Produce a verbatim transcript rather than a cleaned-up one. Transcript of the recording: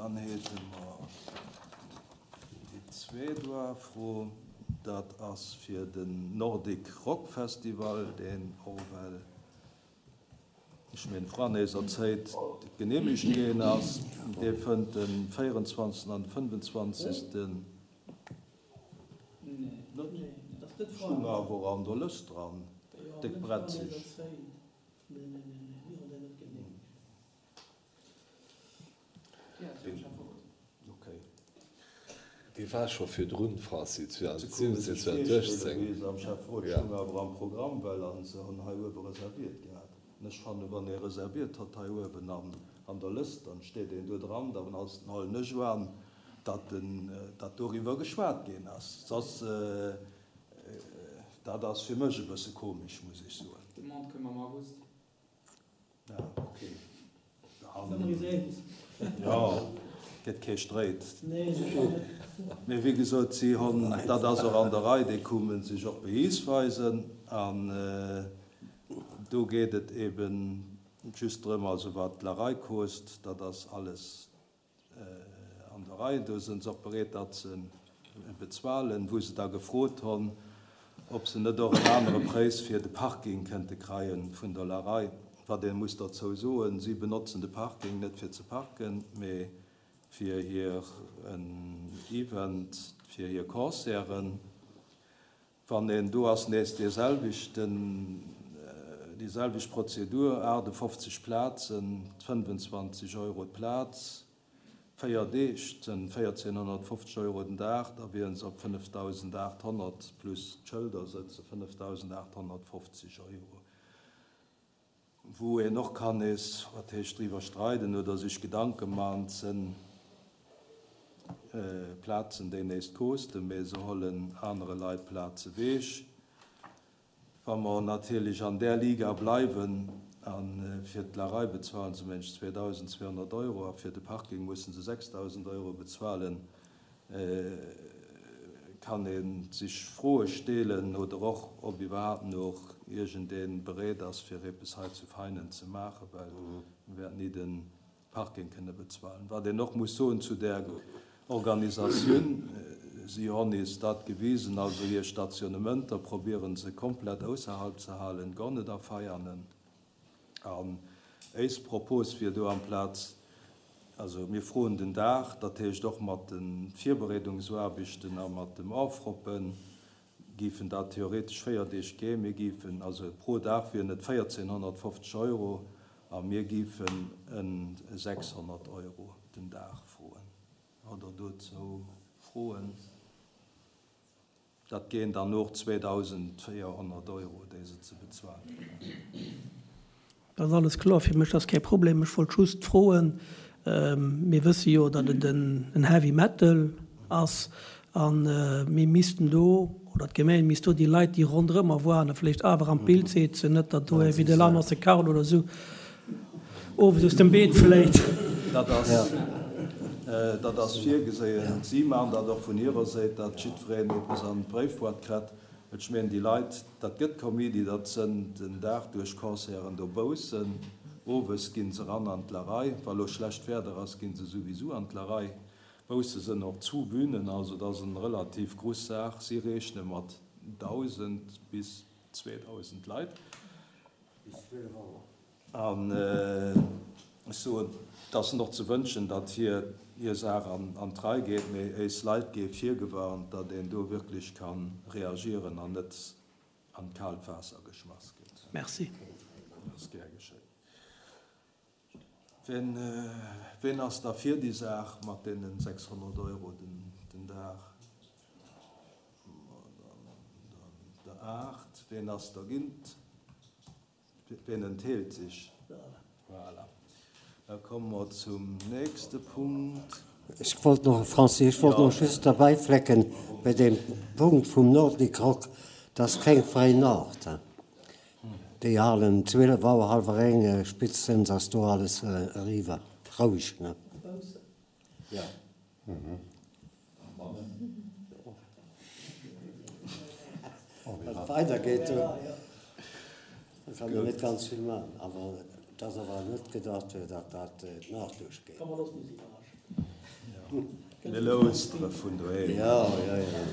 Dann hate mer déi zweet Fro, dat ass fir den Nordic Rock Festival, deen och well, ech mengen, vrun eiser Zäit geneemegt ginn ass. Dee fënnt de véierundzwanzegsten an de fënnefenzwanzegsten. Net? Stung awer an der Lëscht dran, déck bretzeg. Okay. Dee war scho virdrun, Francis, zweedausendsiwwenzéng, zweedausendachtzéng. Am Schäfferot stung awer am Programm, well an se hunn hei uewe reserviert gehat. An ech fannen, wann ee reserviert huet hei uewen an an der Lëscht, dann steet een do dran, dann ass den huelen ech un, datt den datt doriwwer geschwat ginn ass. Soss, dat ass fir mech e bësse komesch, muss ech soen. D'Demande koum am August. Ja, okay. Jo, gëtt kee Stréit. Mee wéi gesot, si hunn, dat ass och an der Rei, déi kumen sech och behiis weisen. An do geet et eben just drëm, also wat d'Lerei kost, dat ass alles an der Rei. Do sinn se och bereet, dat ze bezuelen, wou se da gefrot hunn, ob se net och en anere Präis fir de Parking kënnte kreien vun der Larei. Wat een muss derzou soen, si benotzen de Parking net fir ze parken, mee fir hir en Event, fir hir Concerten. Wann een do ass, nees dee selwechten, déi selwecht Prozedur, achtefofzeg Plazen, fënnefenzwanzeg Euro d'Plaz, véier Deeg, sënn véierzehnhonnertfofzeg Euro den Dag, da wieren se op fënnefdausendachthonnert plus d'Schëlder sëtze fënnefdausendachthonnertfofzeg Euro. Wou een och kann nees, wat heescht, driwwer streiden oder sech Gedanke man, sënn Plazen, déi nees kosten, mee se hollen anere Leit Plaze weech. Wa mer natierlech an där Liga bleiwen, a fir d'Larei bezuelen se mensch zweedausendzweehonnert Euro a fir de Parking mussen se sechsdausend Euro bezuelen, kann ee sech Froe steelen oder och, ob iwwerhaapt nach iergendee bereet ass, fir eppes hei zu Veinen ze maachen, well mir wäerten ni de Parking kënne bezuelen. Wat een och muss soen zu där Organisatioun, si hunn eis dat gewisen, also hir Stationnementer probieren se komplett ausserhalb ze halen, gar net a Veianen. An éis Propos wier do amplaz, also mir froen den Dag, dat heescht och mat de Virbereedungsaarbechten a mat dem Ofroppen, giffen dat theoretesch véier Deeg ginn. Mir giffen, also pro Dag wieren et véierzehnhonnertfofzeg Euro a mir giffen en sechshonnert Euro den Dag froen. Hutt Der dozou Froen? Dat ginn dann och zweedausendvéierhonnert Euro, déi se ze bezuelen hunn. Dat ass alles kloer fir mech, dat ass kee Problem. Ech wollt just froen, mir wësse jo, datt et en Heavy Metal ass a mir missten do, oder d'Gemeng misst do déi Leit, déi ronderëmmer woanen, vläicht awer an d'Bild setzen, net datt do wéi de Lanos de Carlo oder esou owes aus dem Beet fléit. Dat ass, dat ass virgeséien. Si maachen dat och vun hirer Séit, datt jiddwereen eppes an d'Bréifboîte kritt. Ech mengen, déi Leit, dat gëtt Kaméidi, dat sënn den Dag duerch Concerten dobaussen. Owes ginn se ran an d'Larei. Wa lo schlecht Wieder ass, ginn se souwisou an d'Larei. Bausse sënn och zu Bühnen, also dat ass eng relativ grouss Saach. Si rechne mat dausend bis zweedausend Leit. Bis zwielef Auer. An ech soen, et ass och ze wënschen, datt hir hir Saach an an d'Rei geet, mee éis Leit gi virgewarnt, datt een do wierklech ka reagieren an net an d'kaalt Waasser geschmass gëtt. Merci. Dat ass gär geschéien. Wien, wien ass da fir déi Saach mat deenen sechshonnert Euro den, den Dag? Der aacht. Wien ass dergint? Wien enthält sech? Voilà. Da komme mer zum nächste Punkt. Ech wollt noch, Francis, ech wollt noch just derbäi flecken, bei deem Punkt vum Nordic Rock, dat ass keng fräi Nacht. Déi halen zwielef Auer, hallwer eng, spéitstens ass do alles eriwwer. Roueg, ne? Ja. Wann et weidergeet, da kann een net ganz vill maachen. Awer et ass awer net gedacht, datt dat d'Nacht duerchgeet. Ka mer soss nees iwwerraschen. Mir laustere vun doheem. Jo, jo, jo.